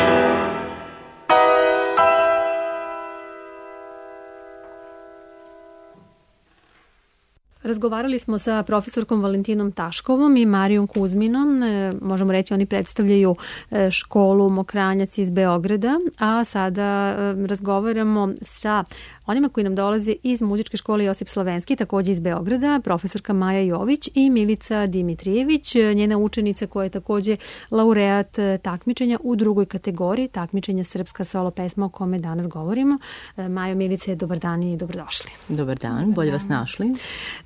S2: Razgovarali smo sa profesorkom Valentinom Taškovom i Marijom Kuzminom. E, možemo reći, oni predstavljaju e, školu Mokranjac iz Beograda, a sada e, razgovaramo sa onima koji nam dolaze iz muzičke škole Josip Slavenski, takođe iz Beograda, profesorka Maja Jović i Milica Dimitrijević, njena učenica koja je takođe laureat takmičenja u drugoj kategoriji, takmičenja Srpska solo pesma o kome danas govorimo. E, Majo, Milice, dobar dan i dobrodošli.
S18: Dobar dan, bolje vas našli.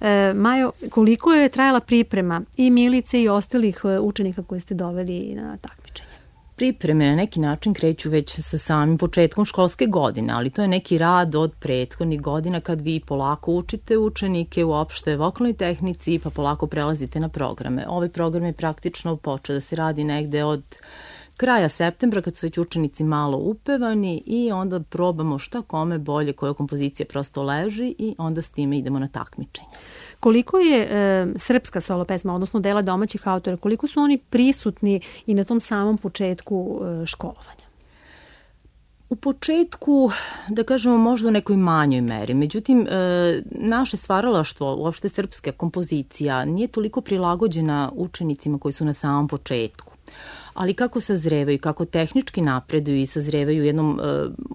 S2: E, Majo, koliko je trajala priprema i Milice i ostalih učenika koje ste doveli na takmičenje?
S18: Pripreme na neki način kreću već sa samim početkom školske godine, ali to je neki rad od prethodnih godina kad vi polako učite učenike uopšte vokalnoj tehnici pa polako prelazite na programe. Ovaj program je praktično počeo da se radi negde od kraja septembra kad su već učenici malo upevani i onda probamo šta kome bolje, koja kompozicija prosto leži i onda s time idemo na takmičenje.
S2: Koliko je e, srpska solo pesma, odnosno dela domaćih autora, koliko su oni prisutni i na tom samom početku e, školovanja?
S18: U početku, da kažemo, možda u nekoj manjoj meri. Međutim, e, naše stvaralaštvo, uopšte srpska kompozicija, nije toliko prilagođena učenicima koji su na samom početku. Ali kako sazrevaju, kako tehnički napreduju i sazrevaju u jednom e,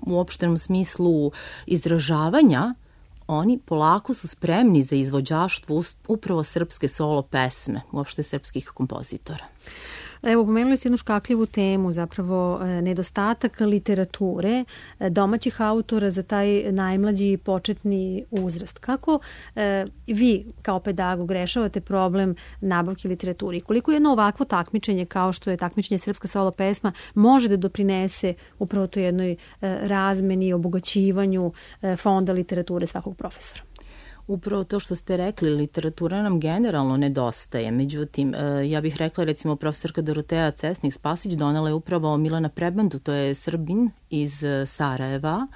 S18: uopštenom smislu izražavanja, oni polako su spremni za izvođaštvo upravo srpske solo pesme, uopšte srpskih kompozitora.
S2: Evo, pomenuli ste jednu škakljivu temu, zapravo nedostatak literature domaćih autora za taj najmlađi početni uzrast. Kako e, vi kao pedagog rešavate problem nabavke literature? Koliko jedno ovakvo takmičenje kao što je takmičenje Srpska solo pesma može da doprinese upravo to jednoj e, razmeni i obogaćivanju e, fonda literature svakog profesora?
S18: Upravo to što ste rekli, literatura nam generalno nedostaje. Međutim, ja bih rekla, recimo, profesorka Doroteja Cesnik-Spasić donela je upravo Milana Prebandu, to je Srbin iz Sarajeva,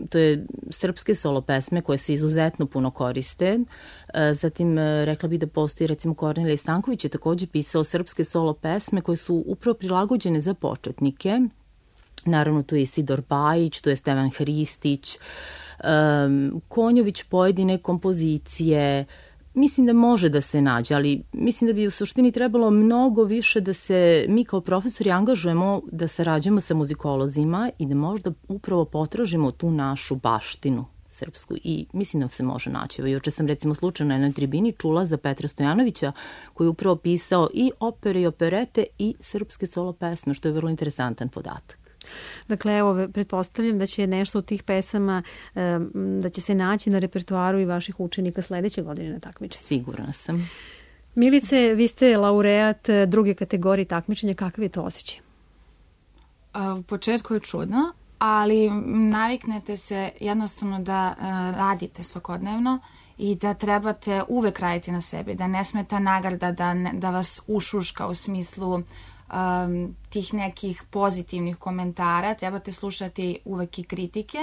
S18: To je srpske solo pesme koje se izuzetno puno koriste. Zatim rekla bih da postoji recimo Kornelije Stanković je takođe pisao srpske solo pesme koje su upravo prilagođene za početnike. Naravno tu je Isidor Bajić, tu je Stevan Hristić, um, Konjović pojedine kompozicije. Mislim da može da se nađe, ali mislim da bi u suštini trebalo mnogo više da se mi kao profesori angažujemo da sarađujemo sa muzikolozima i da možda upravo potražimo tu našu baštinu srpsku i mislim da se može naći. Evo, juče sam recimo slučajno na jednoj tribini čula za Petra Stojanovića koji je upravo pisao i opere i operete i srpske solo pesme, što je vrlo interesantan podatak.
S2: Dakle, evo, pretpostavljam da će nešto od tih pesama, da će se naći na repertoaru i vaših učenika sledeće godine na takmičenju.
S18: Sigurna sam.
S2: Milice, vi ste laureat druge kategorije takmičenja. Kakav je to osjećaj?
S19: U početku je čudno, ali naviknete se jednostavno da radite svakodnevno i da trebate uvek raditi na sebi, da ne sme ta nagrada da, ne, da vas ušuška u smislu Um, tih nekih pozitivnih komentara, trebate slušati uvek i kritike,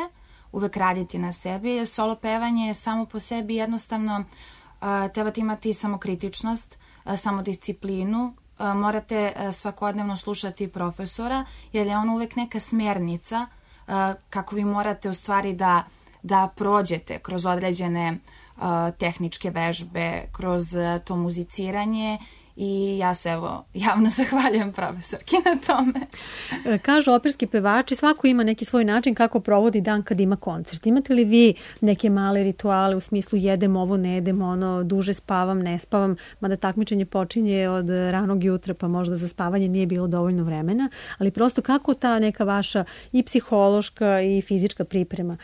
S19: uvek raditi na sebi. Solo pevanje je samo po sebi jednostavno, uh, trebate imati samokritičnost, uh, samodisciplinu, uh, morate uh, svakodnevno slušati profesora, jer je on uvek neka smernica uh, kako vi morate u stvari da, da prođete kroz određene uh, tehničke vežbe, kroz uh, to muziciranje. I ja se evo javno zahvaljujem profesorki na tome.
S2: Kažu operski pevači, svako ima neki svoj način kako provodi dan kad ima koncert. Imate li vi neke male rituale u smislu jedem ovo, ne jedem ono, duže spavam, ne spavam, mada takmičenje počinje od ranog jutra pa možda za spavanje nije bilo dovoljno vremena, ali prosto kako ta neka vaša i psihološka i fizička priprema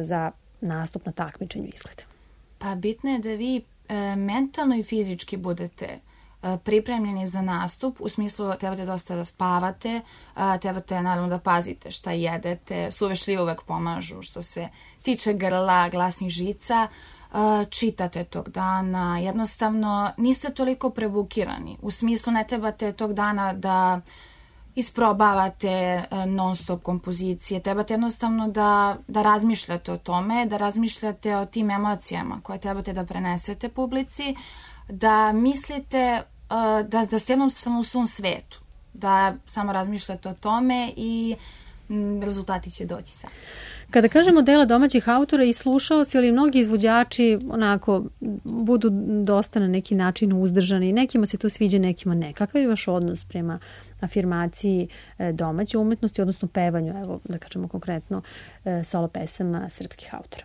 S2: za nastup na takmičenju izgleda?
S19: Pa bitno je da vi e, mentalno i fizički budete pripremljeni za nastup, u smislu trebate dosta da spavate, trebate naravno da pazite šta jedete, suve šljive uvek pomažu što se tiče grla, glasnih žica, čitate tog dana, jednostavno niste toliko prebukirani, u smislu ne trebate tog dana da isprobavate non stop kompozicije, trebate jednostavno da, da razmišljate o tome, da razmišljate o tim emocijama koje trebate da prenesete publici, da mislite uh, da, da ste jednostavno u svom svetu, da samo razmišljate o tome i m, rezultati će doći sam.
S2: Kada kažemo dela domaćih autora i slušaoci, ali mnogi izvođači onako budu dosta na neki način uzdržani, nekima se to sviđa, nekima ne. Kakav je vaš odnos prema afirmaciji domaće umetnosti, odnosno pevanju, evo da kažemo konkretno solo pesama srpskih autora?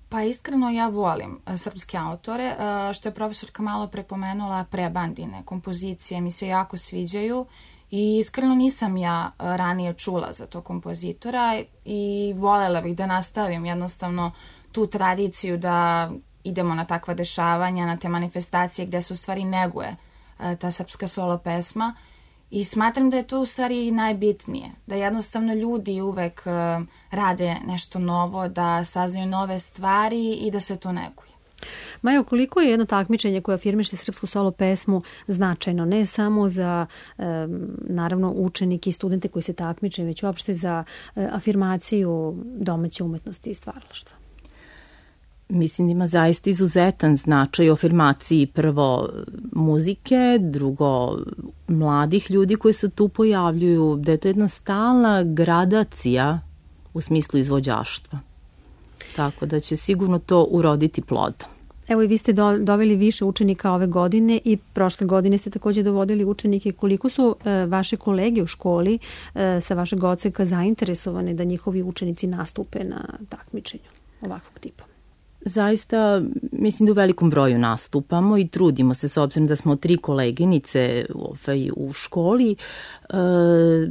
S19: Pa iskreno ja volim srpske autore, što je profesorka malo prepomenula, prebandine, kompozicije mi se jako sviđaju i iskreno nisam ja ranije čula za to kompozitora i volela bih da nastavim jednostavno tu tradiciju da idemo na takva dešavanja, na te manifestacije gde se u stvari neguje ta srpska solo pesma. I smatram da je to u stvari najbitnije, da jednostavno ljudi uvek uh, rade nešto novo, da saznaju nove stvari i da se to neguje.
S2: Majo, koliko je jedno takmičenje koje afirmiše srpsku solo pesmu značajno, ne samo za um, naravno učenike i studente koji se takmiče, već uopšte za uh, afirmaciju domaće umetnosti i stvaralaštva?
S18: Mislim da ima zaista izuzetan značaj u afirmaciji prvo muzike, drugo mladih ljudi koji se tu pojavljuju, da je to jedna stalna gradacija u smislu izvođaštva. Tako da će sigurno to uroditi plodom.
S2: Evo i vi ste do, doveli više učenika ove godine i prošle godine ste takođe dovodili učenike. Koliko su e, vaše kolege u školi e, sa vašeg odseka zainteresovane da njihovi učenici nastupe na takmičenju ovakvog tipa?
S18: Zaista, mislim da u velikom broju nastupamo i trudimo se s obzirom da smo tri koleginice ovaj, u školi e,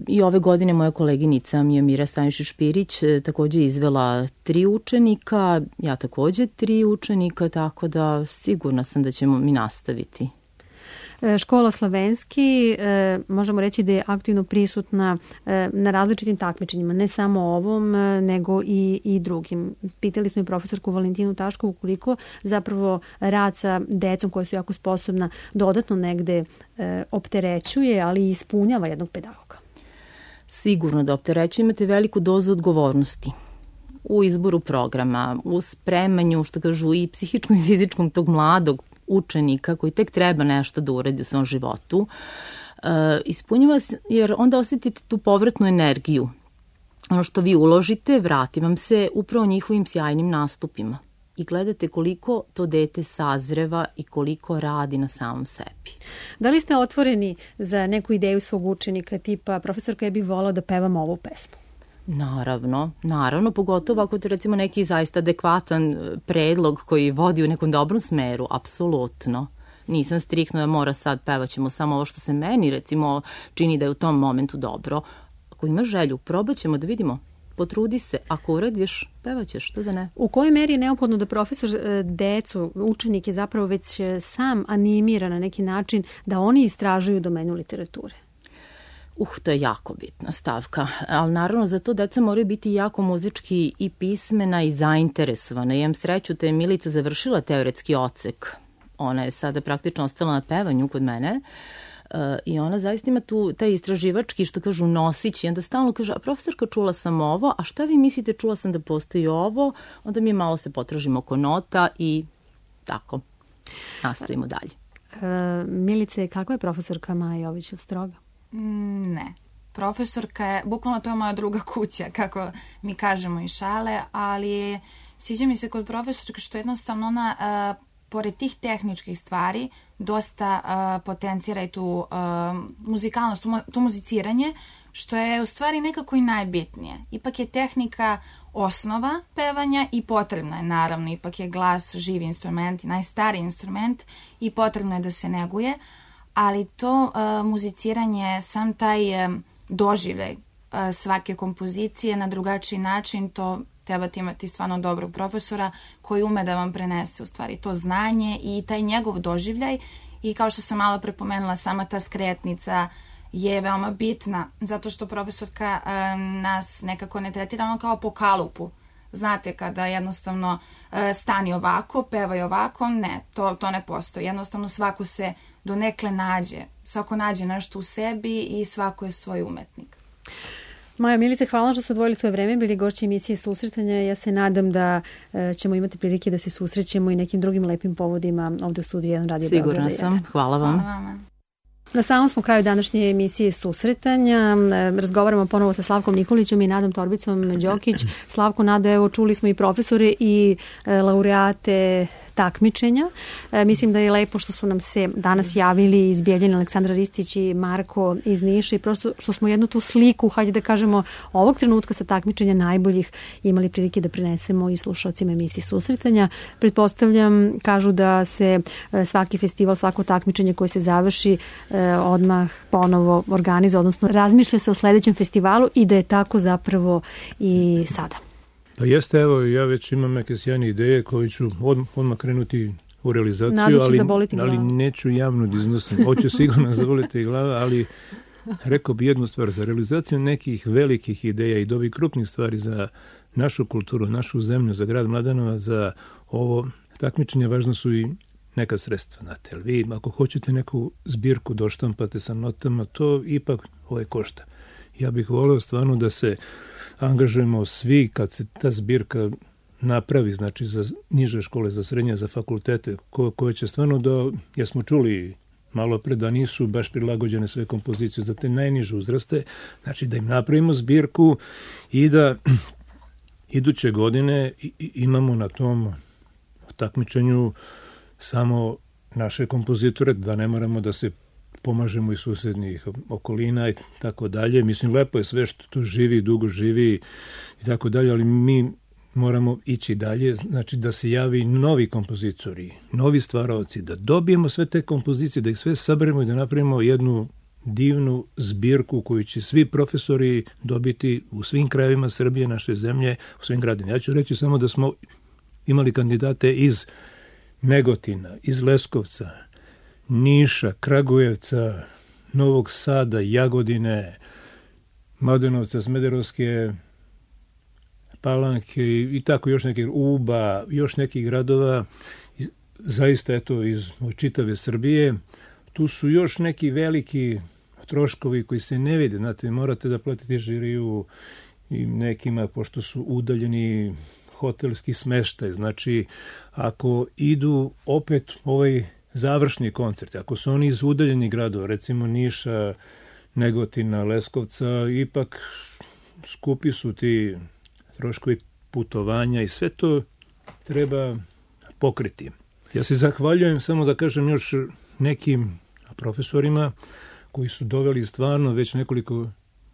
S18: i ove godine moja koleginica Mijomira Stanišić-Špirić takođe izvela tri učenika, ja takođe tri učenika, tako da sigurna sam da ćemo mi nastaviti.
S2: Škola Slavenski, možemo reći da je aktivno prisutna na različitim takmičenjima, ne samo ovom, nego i, i drugim. Pitali smo i profesorku Valentinu Taškovu koliko zapravo rad sa decom koja su jako sposobna dodatno negde opterećuje, ali i ispunjava jednog pedagoga.
S18: Sigurno da opterećuje, imate veliku dozu odgovornosti. u izboru programa, u spremanju, što kažu, i psihičkom i fizičkom tog mladog učenika koji tek treba nešto da uradi u svom životu, uh, ispunjava se, jer onda osetite tu povratnu energiju. Ono što vi uložite, vrati vam se upravo njihovim sjajnim nastupima. I gledate koliko to dete sazreva i koliko radi na samom sebi.
S2: Da li ste otvoreni za neku ideju svog učenika, tipa profesorka, ja bih volao da pevam ovu pesmu?
S18: Naravno, naravno, pogotovo ako to recimo neki zaista adekvatan predlog koji vodi u nekom dobrom smeru, apsolutno. Nisam striktno da mora sad pevaćemo samo ovo što se meni recimo čini da je u tom momentu dobro. Ako ima želju, probat ćemo da vidimo. Potrudi se, ako uradiš, pevaćeš, što da ne.
S2: U kojoj meri je neophodno da profesor decu, učenik je zapravo već sam animira na neki način da oni istražuju domenu literature?
S18: Uh, to je jako bitna stavka, ali naravno za to deca moraju biti jako muzički i pismena i zainteresovana. Imam sreću da je Milica završila teoretski odsek. Ona je sada praktično ostala na pevanju kod mene. Uh, i ona zaista ima tu taj istraživački, što kažu, nosić, i onda stalno kaže, a profesorka, čula sam ovo, a šta vi mislite, čula sam da postoji ovo, onda mi malo se potražimo oko nota i tako nastavimo dalje.
S2: Uh, Milice, kakva je profesorka Maja Jović od Stroga?
S19: Mm, ne. Profesorka je, bukvalno to je moja druga kuća, kako mi kažemo i šale, ali sviđa mi se kod profesorka što jednostavno ona, uh, pored tih tehničkih stvari, dosta uh, potencira i tu uh, muzikalnost, tu, tu muziciranje, što je u stvari nekako i najbitnije. Ipak je tehnika osnova pevanja i potrebna je, naravno, ipak je glas živi instrument, najstariji instrument i potrebno je da se neguje, ali to uh, muziciranje, sam taj um, doživljaj uh, svake kompozicije na drugačiji način, to trebate imati stvarno dobrog profesora koji ume da vam prenese u stvari to znanje i taj njegov doživljaj. I kao što sam malo prepomenula, sama ta skretnica je veoma bitna, zato što profesorka e, nas nekako ne tretira ono kao po kalupu. Znate, kada jednostavno e, stani ovako, pevaj ovako, ne, to, to ne postoji. Jednostavno svako se donekle nađe, svako nađe nešto u sebi i svako je svoj umetnik.
S2: Maja, Milice, hvala što ste odvojili svoje vreme, bili gošći emisije Susretanja. Ja se nadam da e, ćemo imati prilike da se susrećemo i nekim drugim lepim povodima ovde u studiju jedan Radio Beograda.
S18: Sigurna sam. Hvala vam.
S19: Hvala vama.
S2: Na samom smo kraju današnje emisije Susretanja. Razgovaramo ponovo sa Slavkom Nikolićem i Nadom Torbicom Đokić. Slavko, Nado, evo čuli smo i profesore i laureate takmičenja. E, mislim da je lepo što su nam se danas javili iz Bijeljine Aleksandra Ristić i Marko iz Niša i prosto što smo jednu tu sliku, hajde da kažemo, ovog trenutka sa takmičenja najboljih imali prilike da prenesemo i slušalcima emisije Susretanja. Pretpostavljam, kažu da se svaki festival, svako takmičenje koje se završi odmah ponovo organizuje, odnosno razmišlja se o sledećem festivalu i da je tako zapravo i sada.
S3: Pa jeste, evo, ja već imam neke sjajne ideje koje ću odmah, odmah krenuti u realizaciju,
S2: Nadu će
S3: ali,
S2: zaboliti glava.
S3: ali neću javno da iznosim. Hoću sigurno zaboliti glava, ali rekao bi jednu stvar, za realizaciju nekih velikih ideja i dobi krupnih stvari za našu kulturu, našu zemlju, za grad Mladenova, za ovo takmičenje, važno su i neka sredstva. Znate, ali vi, ako hoćete neku zbirku doštampate sa notama, to ipak ovaj košta. Ja bih voleo stvarno da se angažujemo svi kad se ta zbirka napravi, znači za niže škole, za srednje, za fakultete, ko, koje će stvarno da, ja smo čuli malo pre da nisu baš prilagođene sve kompozicije za te najniže uzraste, znači da im napravimo zbirku i da iduće godine imamo na tom takmičenju samo naše kompozitore, da ne moramo da se pomažemo iz susednih okolina i tako dalje. Mislim, lepo je sve što tu živi, dugo živi i tako dalje, ali mi moramo ići dalje, znači da se javi novi kompozitori, novi stvaraoci, da dobijemo sve te kompozicije, da ih sve saberemo i da napravimo jednu divnu zbirku koju će svi profesori dobiti u svim krajevima Srbije, naše zemlje, u svim gradima. Ja ću reći samo da smo imali kandidate iz Negotina, iz Leskovca, Niša, Kragujevca, Novog Sada, Jagodine, Mladenovca, Smederovske Palanke i tako još nekih, Uba, još nekih gradova, zaista eto iz čitave Srbije. Tu su još neki veliki troškovi koji se ne vide, znate, morate da platite žiriju i nekima, pošto su udaljeni hotelski smeštaj. Znači, ako idu opet ovaj završni koncert, ako su oni iz udaljenih gradova, recimo Niša, Negotina, Leskovca, ipak skupi su ti troškovi putovanja i sve to treba pokriti. Ja se zahvaljujem, samo da kažem još nekim profesorima koji su doveli stvarno već nekoliko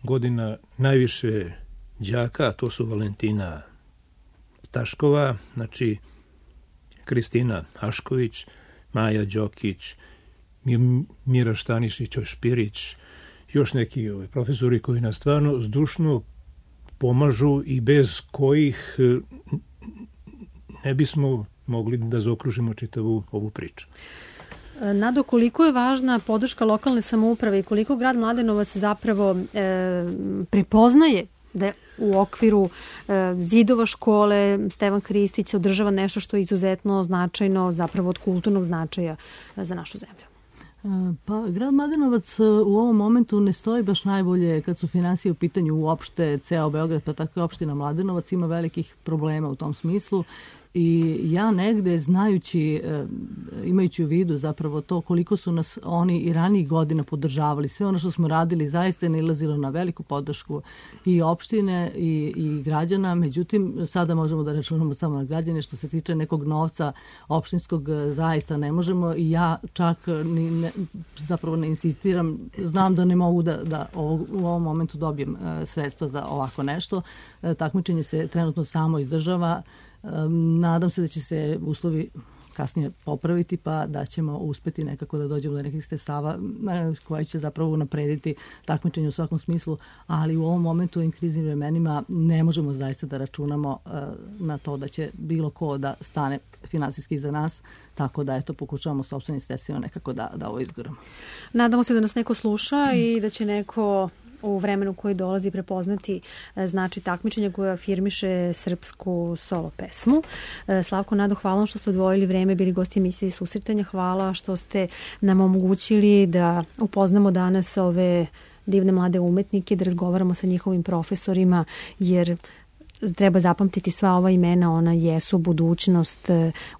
S3: godina najviše đaka, a to su Valentina Taškova, znači Kristina Ašković, Maja Đokić, Mira Štanišić-Špirić, još neki ovaj, profesori koji nas stvarno zdušno pomažu i bez kojih ne bismo mogli da zaokružimo čitavu ovu priču.
S2: Nado, koliko je važna podrška lokalne samouprave i koliko grad Mladenovac zapravo e, prepoznaje da u okviru e, zidova škole Stevan Hristić održava nešto što je izuzetno značajno, zapravo od kulturnog značaja za našu zemlju?
S1: Pa, grad Mladenovac u ovom momentu ne stoji baš najbolje kad su finansije u pitanju uopšte, ceo Beograd, pa tako i opština Mladenovac ima velikih problema u tom smislu. I ja negde, znajući, imajući u vidu zapravo to koliko su nas oni i ranijih godina podržavali, sve ono što smo radili zaista je nailazilo na veliku podršku i opštine i, i građana, međutim sada možemo da računamo samo na građane, što se tiče nekog novca opštinskog zaista ne možemo i ja čak ni ne, zapravo ne insistiram, znam da ne mogu da, da ovog, u ovom momentu dobijem sredstva za ovako nešto. Takmičenje se trenutno samo izdržava. Nadam se da će se uslovi kasnije popraviti, pa da ćemo uspeti nekako da dođemo do nekih sredstava koji će zapravo unaprediti takmičenje u svakom smislu, ali u ovom momentu u ovim kriznim vremenima ne možemo zaista da računamo na to da će bilo ko da stane finansijski za nas, tako da eto pokušavamo sopstvenim sredstvima nekako da, da ovo izguramo.
S2: Nadamo se da nas neko sluša i da će neko u vremenu koji dolazi prepoznati znači takmičenja koje afirmiše srpsku solo pesmu. Slavko, Nado, hvala vam što ste odvojili vreme, bili gosti emisije Susretanja. Hvala što ste nam omogućili da upoznamo danas ove divne mlade umetnike, da razgovaramo sa njihovim profesorima, jer treba zapamtiti sva ova imena, ona jesu budućnost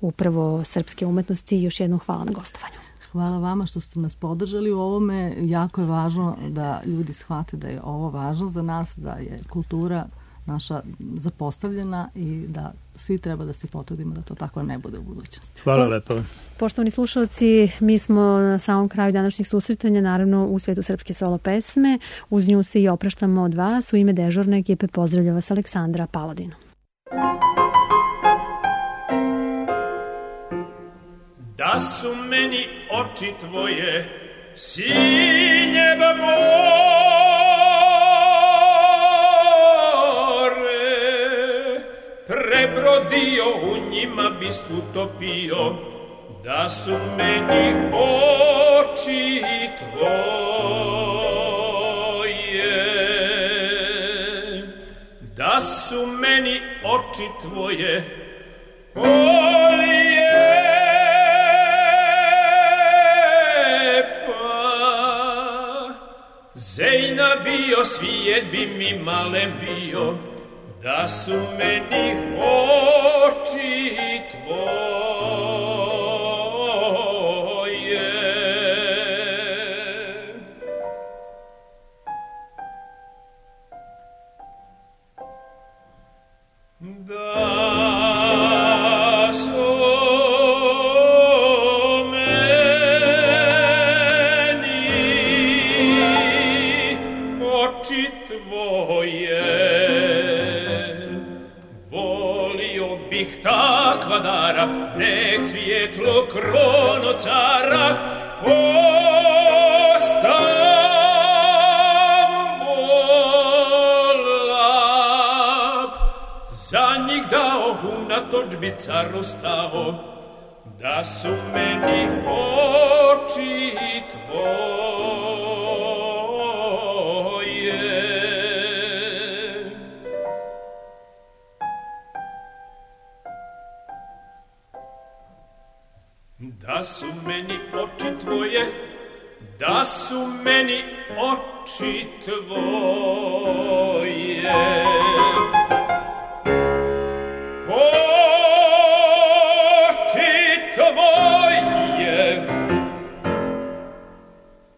S2: upravo srpske umetnosti. Još jednom hvala na gostovanju.
S1: Hvala vama što ste nas podržali u ovome. Jako je važno da ljudi shvate da je ovo važno za nas, da je kultura naša zapostavljena i da svi treba da se potrudimo da to tako ne bude u budućnosti.
S3: Hvala lepo.
S2: Poštovani slušalci, mi smo na samom kraju današnjih susretanja, naravno u svetu srpske solo pesme. Uz nju se i opraštamo od vas. U ime dežurne ekipe pozdravlja vas Aleksandra Paladin.
S17: Da su meni oči tvoje sinjeba more, prebrodio u njima bi utopio. Da su meni oči tvoje, da su meni oči tvoje olije, Zejna bio, svijet bi mi male bio, da su meni oči tvoje. Da su takva dara, nek svijetlo krono cara Ostambolab. Za njih dao unatoč bi caru stao, da su meni oči tvoje. Da su meni oči tvoje, da su meni oči tvoje.